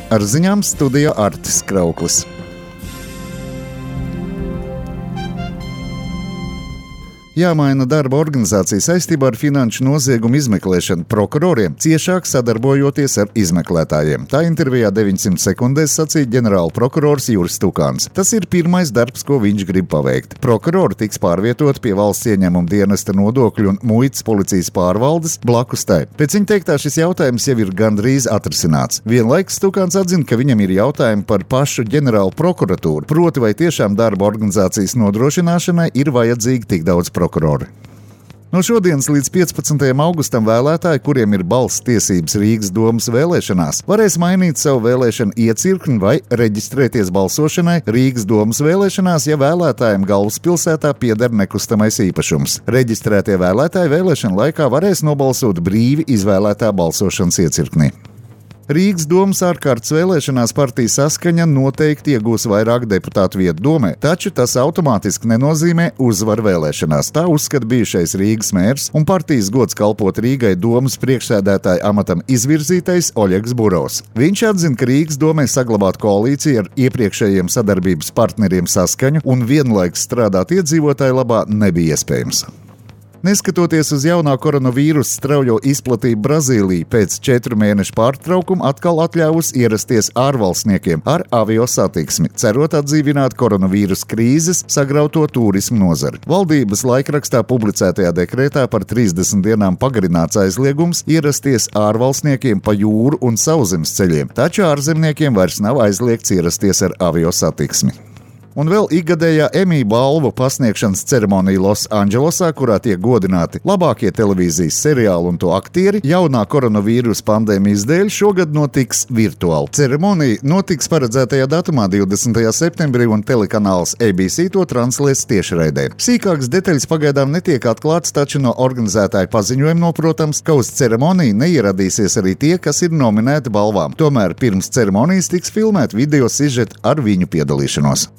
Ar ziņām studijā Artis Krauklis. Jāmaina darba organizācija saistībā ar finanšu noziegumu izmeklēšanu prokuroriem, ciešāk sadarbojoties ar izmeklētājiem. Tā intervijā 900 sekundēs sacīja ģenerāla prokurors Juris Stukāns. Tas ir pirmais darbs, ko viņš grib paveikt. Prokurori tiks pārvietoti pie valsts ieņēmuma dienesta nodokļu un muitas policijas pārvaldes blakus tai. Pēc viņa teiktā šis jautājums jau ir gandrīz atrisināts. Vienlaikus Stukāns atzina, ka viņam ir jautājumi par pašu ģenerālu prokuratūru, proti vai tiešām darba organizācijas nodrošināšanai ir vajadzīgi tik daudz prokurori. No šodienas līdz 15. augustam vēlētāji, kuriem ir balss tiesības Rīgas domas vēlēšanās, varēs mainīt savu vēlēšanu iecirkni vai reģistrēties balsošanai Rīgas domas vēlēšanās, ja vēlētājiem galvaspilsētā pieder nekustamais īpašums. Reģistrētie vēlētāji vēlēšanu laikā varēs nobalsot brīvi izvēlētā balsošanas iecirknī. Rīgas domas ārkārtas vēlēšanās partija Saskaņa noteikti iegūs vairāk deputātu vietu domē, taču tas automātiski nenozīmē uzvaru vēlēšanās. Tā uzskata bijušais Rīgas mērs un partijas gods kalpot Rīgai domas priekšsēdētāja amatam izvirzītais Oļegs Burovs. Viņš atzina, ka Rīgas domē saglabāt koalīciju ar iepriekšējiem sadarbības partneriem Saskaņu un vienlaikus strādāt iedzīvotāju labā nebija iespējams. Neskatoties uz jaunā koronavīrusa straujo izplatību, Brazīlija pēc 4 mēnešu pārtraukuma atkal atļāvusi ierasties ārvalstniekiem ar avio satiksmi, cerot atdzīvināt koronavīrusa krīzes sagrauto turismu nozari. Valdības laikrakstā publicētajā dekrētā par 30 dienām pagarināts aizliegums ierasties ārvalstniekiem pa jūru un sauszemes ceļiem, taču ārzemniekiem vairs nav aizliegts ierasties ar avio satiksmi. Un vēl ikgadējā Emmy balvu pasniegšanas ceremonija Losandželosā, kurā tiek godināti labākie televīzijas seriāli un to aktieri, jaunā koronavīrusa pandēmijas dēļ šogad notiks virtuāli. Ceremonija notiks paredzētajā datumā 20. septembrī un telekanāls ABC to translēs tiešraidē. Sīkākas detaļas pagaidām netiek atklātas, taču no organizētāju paziņojuma noprotams, ka uz ceremoniju neieradīsies arī tie, kas ir nominēti balvām. Tomēr pirms ceremonijas tiks filmēt video sižeti ar viņu piedalīšanos.